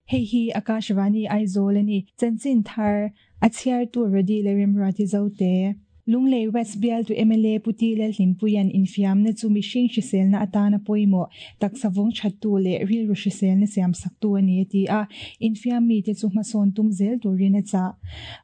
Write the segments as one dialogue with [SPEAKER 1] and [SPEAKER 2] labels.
[SPEAKER 1] Hei hi Akashvani Aizawl a ni. Chanchin thar a chhiartu Rody leh Remruati Zote. Lunglei West bialtu mla Pu Ti Lalhlimpuia'n infiamna chu mihring hriselna atana pawimawh, taksa vawng thattu leh rilru hriselna siamsaktu a ni a ti a, infiam mite chu hmasawn tum zel turin a chah.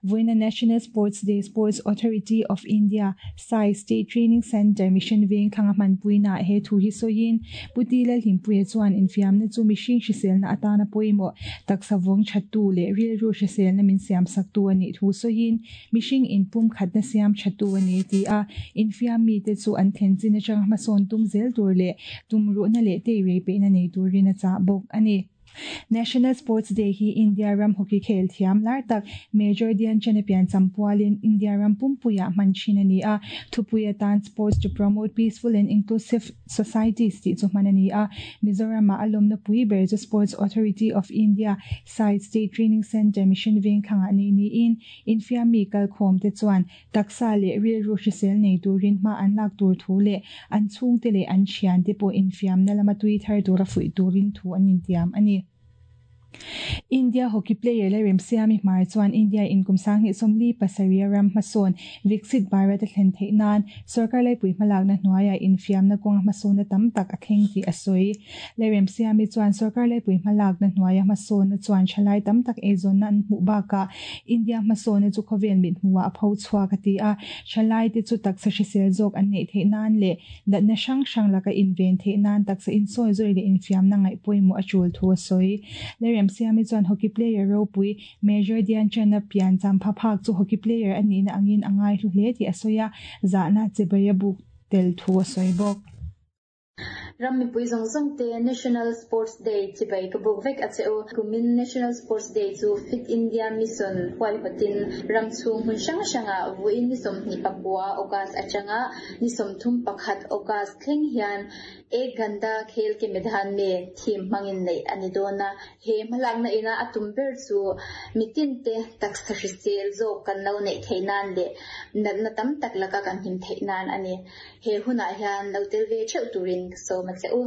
[SPEAKER 1] Vawiina National Sports Day Sports Authority of India, SAI, State Training Centre Mission Veng thlanga hmanpuinaah he thu hi sawiin Pu Ti Lalhlimpuia chuan infiamna chu mihring hriselna atana pawimawh, taksa vawng thattu leh rilru hriselna min siamsaktu a nih thu sawiin Mihring inpumkhatna siam thatu a ni a ti a, infiam mite chu an thlen chin atanga hmasawn tum zel tur leh tumruhna leh teirei peihna nei turin a chah bawk a ni. National Sports Day hi India ram hockey khel thiam lar tak Major Dhyan Chand a piancham pualin India ram pumpuiah hman thin a ni a, thupui atan Sports to Promote Peaceful and Inclusive Societies tih chu hman a ni a, Mizoramah a lawmna pui ber chu Sports Authority of India, SAI, State Training Centre Mission Vengthlangah nei niin Infiam mi kalkhawmte chuan taksa leh rilru hrisel nei turin hma an lak tur thu leh an chhungte leh an thiante pawh infiamna lama tui thar tura fuih turin thu an intiam a ni. India hockey player Lalremsiami Hmar chuan India in kum 2027 a ram hmasawn Viksit Bharat a thlen theih nan sorkar laipui hmalakna hnuaiah infiamna kawnga hmasawnna tam tak a thleng tih a sawi. Lalremsiami chuan sorkar laipui hmalakna hnuaia hmasawnna chuan thalai tam tak eizawnna an hmuh bakah India hmasawnna chu khawvel mit hmuhah a pho chhuak a ti a, thalaite chu taksa hrisel zawk an neih theih nan leh natna hrang hrang laka inven theih nan taksa insawi zawi leh infiamna ngaih pawimawh a tul thu a sawi. Lalremsiami chuan hockey player ropui Major Dhyan Chand-a pian champha phak chu hockey player a nihna angin a ngaihlu hle tih a sawi a, zahna chibai a buk tel thu a sawi bawk.
[SPEAKER 2] Ram mipui zawng zawng te National Sports Day chibai ka buk vek a che u. Kumin National Sports Day chu Fit India Mission huaihawtin ram chhung hmun hrang hrangah vawiin ni 24 August atanga ni 31 August thleng hian Ek Ghanta Khel Ke Medan Mein theme hmangin neih a ni dawn a. He hmalakna ina a tum ber chu mitin te taksa hrisel zawk kan lo neih theih nan leh natna tam tak laka kan him theih nan a ni. He hunah hian lo tel ve theuh turin ka sawm a che u.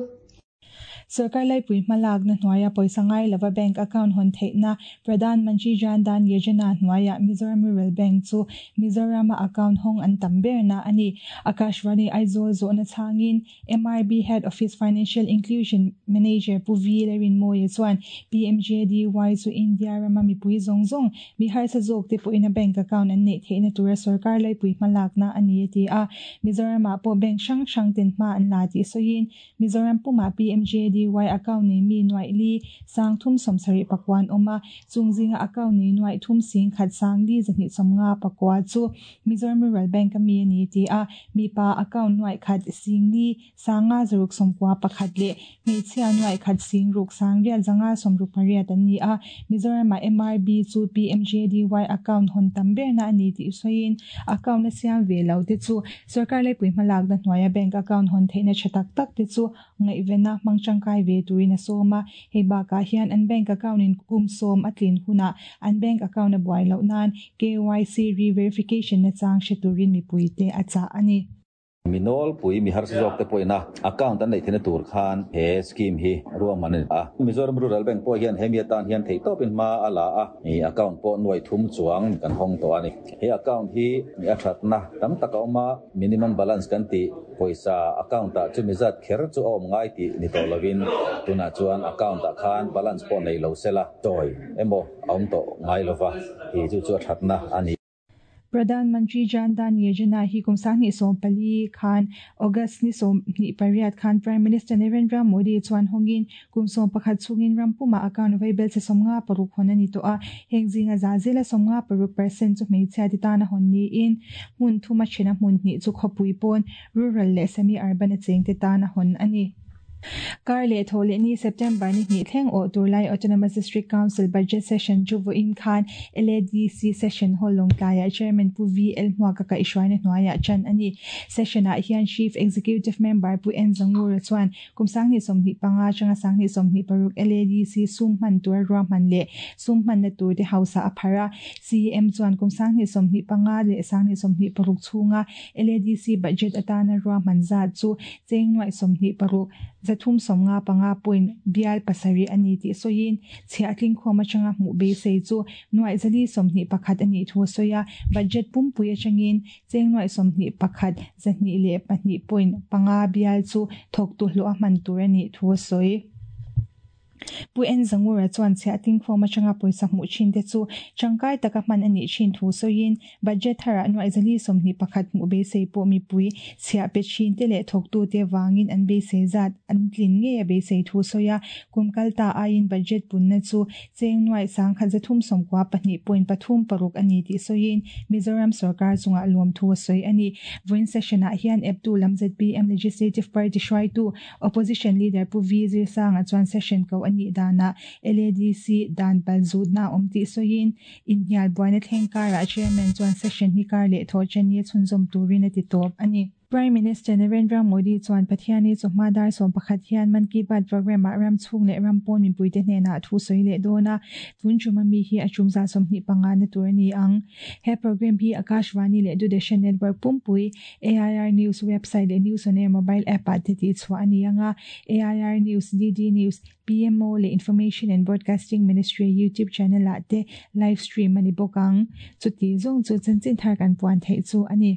[SPEAKER 1] Sorkar laipui hmalakna hnuaia pawisa ngai lova bank account hawn theihna Pradhan Mantri Jan Dhan Yojana hnuaiah Mizoram Rural Bank chu Mizorama account hawng an tam berna a ni. Akashvani Aizawl zawhna chhangin MRB Head Office Financial Inclusion Manager Pu V Larinmawia chuan PMJDY chu India rama mipui zawng zawng Mi harsa zawk te pawhin a bank account an neih theihna tura sorkar laipui hmalakna a ni a ti a. Mizoramah pawh bank hrang hrang ten hma an la tih sawiin Mizoram pumah PMJDY account nei mi nuaih li sang thum sawmsarih pakua an awm a, chung zinga account nei nuaih thum sing khat sang li zahnih sawmnga pakua chu Mizoram Rural Bank a mi a ni a ti a. Mipa account nuaih khat sing li Sanga zaruk sawmkua pakhat leh hmeichhia nuaih khat sing ruk sang riat zanga sawmruk pariat an ni a. Mizoramah MRB chu PMJDY account hawn tam berna a ni tih sawiin account a siam ve lo te chu sorkar laipui hmalakna hnuaia bank account hawn theihna tha tak tak te chu ngaihvena hmang tangkai ve turin a sawm a. Hei bakah hian an bank account in kum sawm a tlin hunah an bank account a buai loh nan KYC re-verification nachang hre turin mipuite a chah a ni.
[SPEAKER 3] Mi nawlpui, mi harsa zawk te pawhin a account an neih theihna tur khan he scheme hi ruahman a ni a. Mizoram Rural Bank pawh hian hemi atan hian theihtawpin hma a la a, account pawh nuai thum chuang kan hawng tawh a ni. He account hi a thatna tam tak a awm a, minimum balance kan tih pawisa account ah chumi zat kher chu a awm ngai tih ni tawh lovin tunah chuan account ah khan balance pawh nei lo sela chawi emaw a awm tawh ngai lova, hi chu chu a thatna a ni.
[SPEAKER 1] Pradhan Mantri Jan Dhan Yojana hi kum 2014 khan August ni 28 khan Prime Minister Narendra Modi chuan hawngin kum 11 chhungin ram pumah account vaibel che 56 hawn a ni tawh a. Heng zinga za zela 56% chu hmeichhia ti tana hawn niin hmun thuma thena hmun hnih chu khawpui pawn rural leh semi-urban a chengte tana hawn a ni. Kar leh thaw leh ni September ni hnih thleng awh tur lai Autonomous District Council Budget Session chu vawiin khan LADC Session Hall Lawngtlaiah Chairman Pu VL Hmuaka kaihhruaina hnuaiah tan a ni. Session-ah hian Chief Executive Member Pu N Zangura chuan kum 2025 atanga 2026 LADC sum hman tura ruahman leh sum hmanna turte hausa a pharh a. CEM chuan kum 2025 leh 2026 chhunga LADC budget atana ruahman zat chu cheng nuaih 26. 355 point bial pasarih a ni tih sawiin chhiah tlingkhawm atanga hmuh beisei chu nuaih 421 a nih thu a sawi a. Budget pumpui atangin cheng nuaih 21 202 point panga bial chu thawktu hlawh a hman tur a nih thu a sawi. Pu En Zangura chuan chhiah tlingkhawm atanga pawisa hmuh thin te chu tangkai taka hman a nih thin thu sawiin budget tharah nuaih 421 hmuh beisei pawh mipui chhiah pe thin te leh thawktute vangin an beisei zat an tlin ngei a beisei thu sawi a. Kum kal ta aiin budget punna chu cheng nuaih 1392 point pathum paruk a ni tih sawiin Mizoram sorkar chungah lawm thu a sawi a ni. Vawiin session-ah hian eptu lam zpm Legislative Party hruaitu Opposition Leader Pu V Zirsanga chuan session ko a nih danah LADC dan pal zutna a awm tih sawiin inhnial buaina thleng karah Chairman chuan session hi kar leh thawh chen hi chhunzawm turin a ti tawp a ni. Prime Minister Narendra Modi chuan Pathiani chawhma dar 11 hian Mann Ki Baat programme-ah ram chhung leh ram pawn mipuite hnenah thu sawi leh dawn a, tun tum ami hi a tum zah 25 na tur a ni ang. He programme hi Akashvani leh Doordarshan Network pumpui, AIR News website leh News on Air mobile app-ah te tihchhuah a ni ang a, AIR News, DD News, PMO leh Information and Broadcasting Ministry YouTube channel-ah te live stream a ni bawk ang. Chuti zawng chu chanchin thar kan puan theih chu a ni.